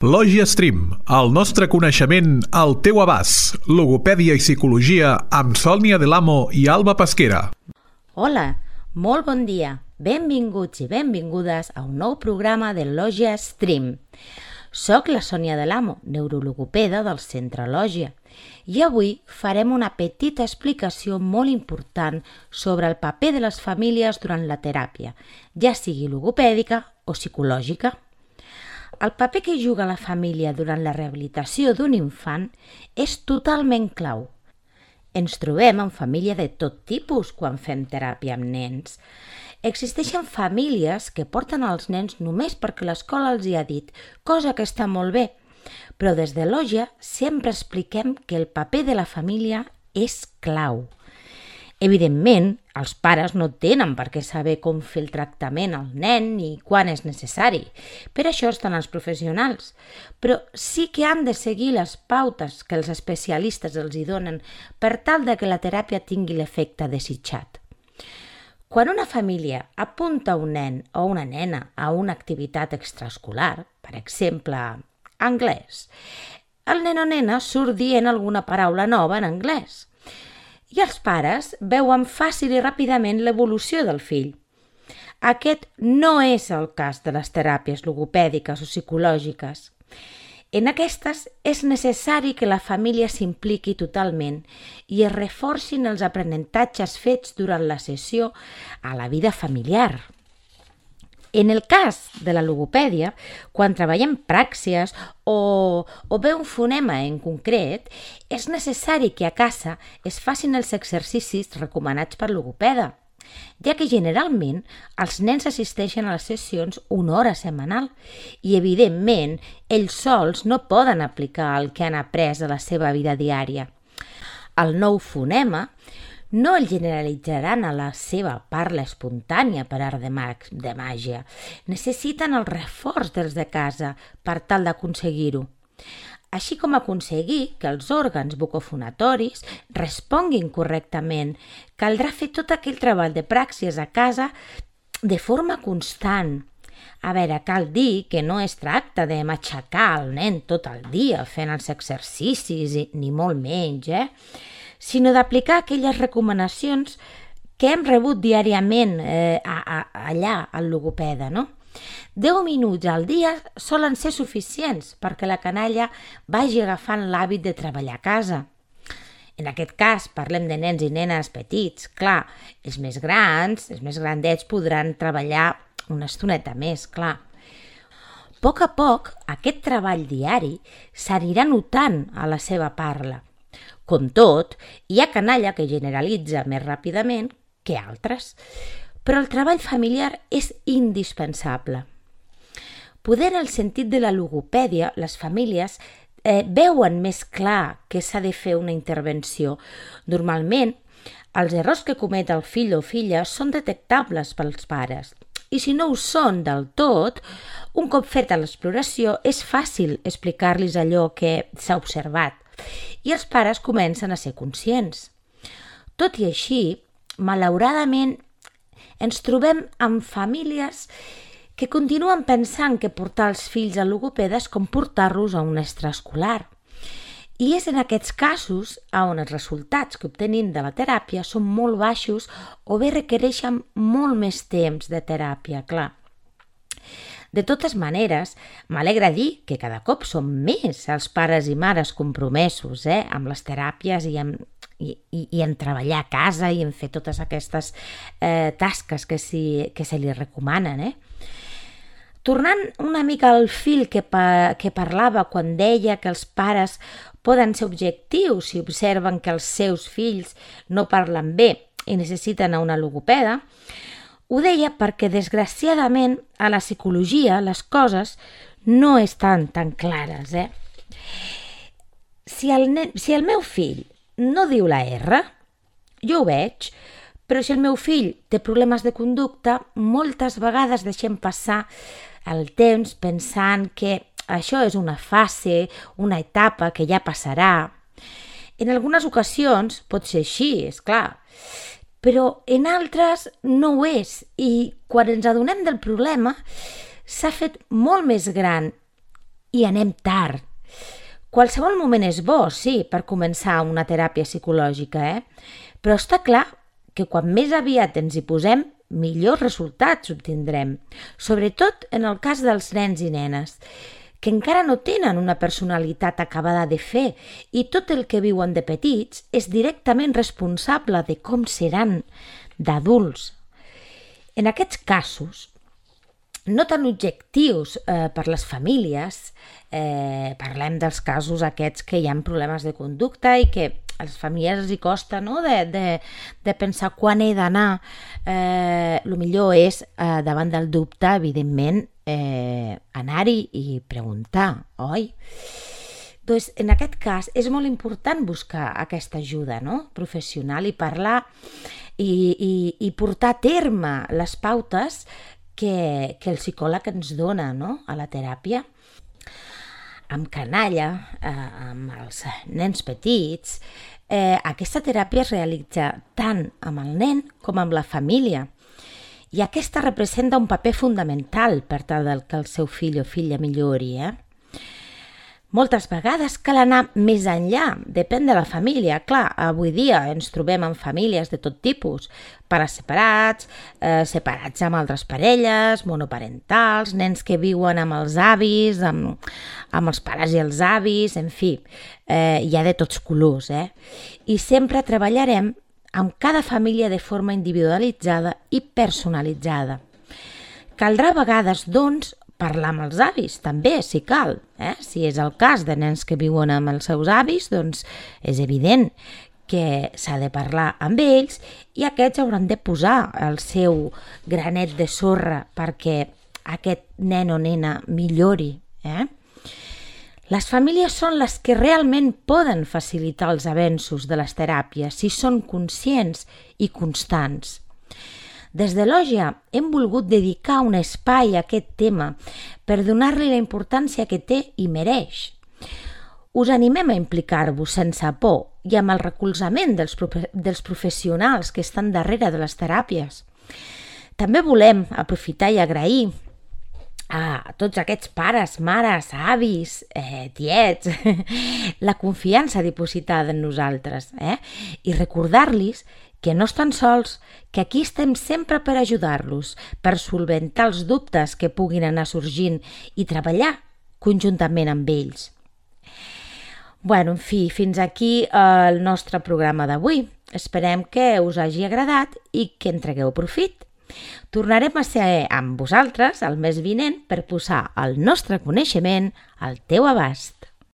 Lògia Stream, el nostre coneixement al teu abast. Logopèdia i psicologia amb Sònia Delamo i Alba Pesquera. Hola, molt bon dia. Benvinguts i benvingudes a un nou programa de Lògia Stream. Soc la Sònia Delamo, neurologopeda del Centre Lògia, i avui farem una petita explicació molt important sobre el paper de les famílies durant la teràpia, ja sigui logopèdica o psicològica. El paper que juga la família durant la rehabilitació d'un infant és totalment clau. Ens trobem en família de tot tipus quan fem teràpia amb nens. Existeixen famílies que porten els nens només perquè l'escola els hi ha dit, cosa que està molt bé, però des de Lògia sempre expliquem que el paper de la família és clau. Evidentment, els pares no tenen per què saber com fer el tractament al nen ni quan és necessari. Per això estan els professionals. Però sí que han de seguir les pautes que els especialistes els hi donen per tal de que la teràpia tingui l'efecte desitjat. Quan una família apunta un nen o una nena a una activitat extraescolar, per exemple, anglès, el nen o nena surt dient alguna paraula nova en anglès. I els pares veuen fàcil i ràpidament l'evolució del fill. Aquest no és el cas de les teràpies logopèdiques o psicològiques. En aquestes és necessari que la família s'impliqui totalment i es reforcin els aprenentatges fets durant la sessió a la vida familiar. En el cas de la logopèdia, quan treballem pràxies o bé un fonema en concret, és necessari que a casa es facin els exercicis recomanats per logopeda, ja que generalment els nens assisteixen a les sessions una hora setmanal i, evidentment, ells sols no poden aplicar el que han après a la seva vida diària. El nou fonema no el generalitzaran a la seva parla espontània per art de màgia. Necessiten el reforç dels de casa per tal d'aconseguir-ho. Així com aconseguir que els òrgans bucofonatoris responguin correctament, caldrà fer tot aquell treball de pràxies a casa de forma constant. A veure, cal dir que no es tracta de matxacar el nen tot el dia fent els exercicis, ni molt menys, sinó d'aplicar aquelles recomanacions que hem rebut diàriament allà al logopeda, no? 10 minuts al dia solen ser suficients perquè la canalla vagi agafant l'hàbit de treballar a casa. En aquest cas parlem de nens i nenes petits. Clar, els més grans, els més grandets podran treballar una estoneta més, clar. A poc, aquest treball diari s'anirà notant a la seva parla. Com tot, hi ha canalla que generalitza més ràpidament que altres, però el treball familiar és indispensable. Poder en el sentit de la logopèdia, les famílies veuen més clar que s'ha de fer una intervenció. Normalment, els errors que comet el fill o filla són detectables pels pares. I si no ho són del tot, un cop feta l'exploració és fàcil explicar-los allò que s'ha observat i els pares comencen a ser conscients. Tot i així, malauradament, ens trobem amb famílies que continuen pensant que portar els fills a logopeda és com portar-los a un extraescolar. I és en aquests casos on els resultats que obtenim de la teràpia són molt baixos o bé requereixen molt més temps de teràpia, clar. De totes maneres, m'alegra dir que cada cop són més els pares i mares compromesos amb les teràpies i en treballar a casa i en fer totes aquestes tasques que se li recomanen. Tornant una mica al fil que parlava quan deia que els pares poden ser objectius si observen que els seus fills no parlen bé i necessiten una logopeda, ho deia perquè, desgraciadament, a la psicologia les coses no estan tan clares. Si el meu fill no diu la R, jo ho veig, però si el meu fill té problemes de conducta, moltes vegades deixem passar el temps pensant que això és una fase, una etapa que ja passarà. En algunes ocasions pot ser així, és clar, però en altres no ho és i quan ens adonem del problema s'ha fet molt més gran i anem tard. Qualsevol moment és bo, sí, per començar una teràpia psicològica, però està clar que quan més aviat ens hi posem, millors resultats obtindrem, sobretot en el cas dels nens i nenes, que encara no tenen una personalitat acabada de fer i tot el que viuen de petits és directament responsable de com seran d'adults. En aquests casos, no tan objectius per les famílies, parlem dels casos aquests que hi ha problemes de conducta i que a les famílies els hi costa, no?, de pensar quan he d'anar. El millor és, davant del dubte, evidentment, anar-hi i preguntar, oi? Doncs en aquest cas és molt important buscar aquesta ajuda, no?, professional, i parlar i portar a terme les pautes que el psicòleg ens dona, no?, a la teràpia. Amb canalla, amb els nens petits, aquesta teràpia es realitza tant amb el nen com amb la família. I aquesta representa un paper fundamental per tal que el seu fill o filla millori. Moltes vegades cal anar més enllà, depèn de la família. Clar, avui dia ens trobem amb famílies de tot tipus, pares separats, separats amb altres parelles, monoparentals, nens que viuen amb els avis, amb els pares i els avis, en fi, hi ha de tots colors. I sempre treballarem amb cada família de forma individualitzada i personalitzada. Caldrà a vegades, doncs, parlar amb els avis, també, si cal. Si és el cas de nens que viuen amb els seus avis, doncs és evident que s'ha de parlar amb ells i aquests hauran de posar el seu granet de sorra perquè aquest nen o nena millori. Les famílies són les que realment poden facilitar els avenços de les teràpies si són conscients i constants. Des de Lògia hem volgut dedicar un espai a aquest tema per donar-li la importància que té i mereix. Us animem a implicar-vos sense por i amb el recolzament dels professionals que estan darrere de les teràpies. També volem aprofitar i agrair a tots aquests pares, mares, avis, tiets, la confiança dipositada en nosaltres, i recordar-los que no estan sols, que aquí estem sempre per ajudar-los, per solventar els dubtes que puguin anar sorgint i treballar conjuntament amb ells. En fi, fins aquí el nostre programa d'avui. Esperem que us hagi agradat i que en tregueu profit. Tornarem a ser amb vosaltres el mes vinent per posar el nostre coneixement al teu abast.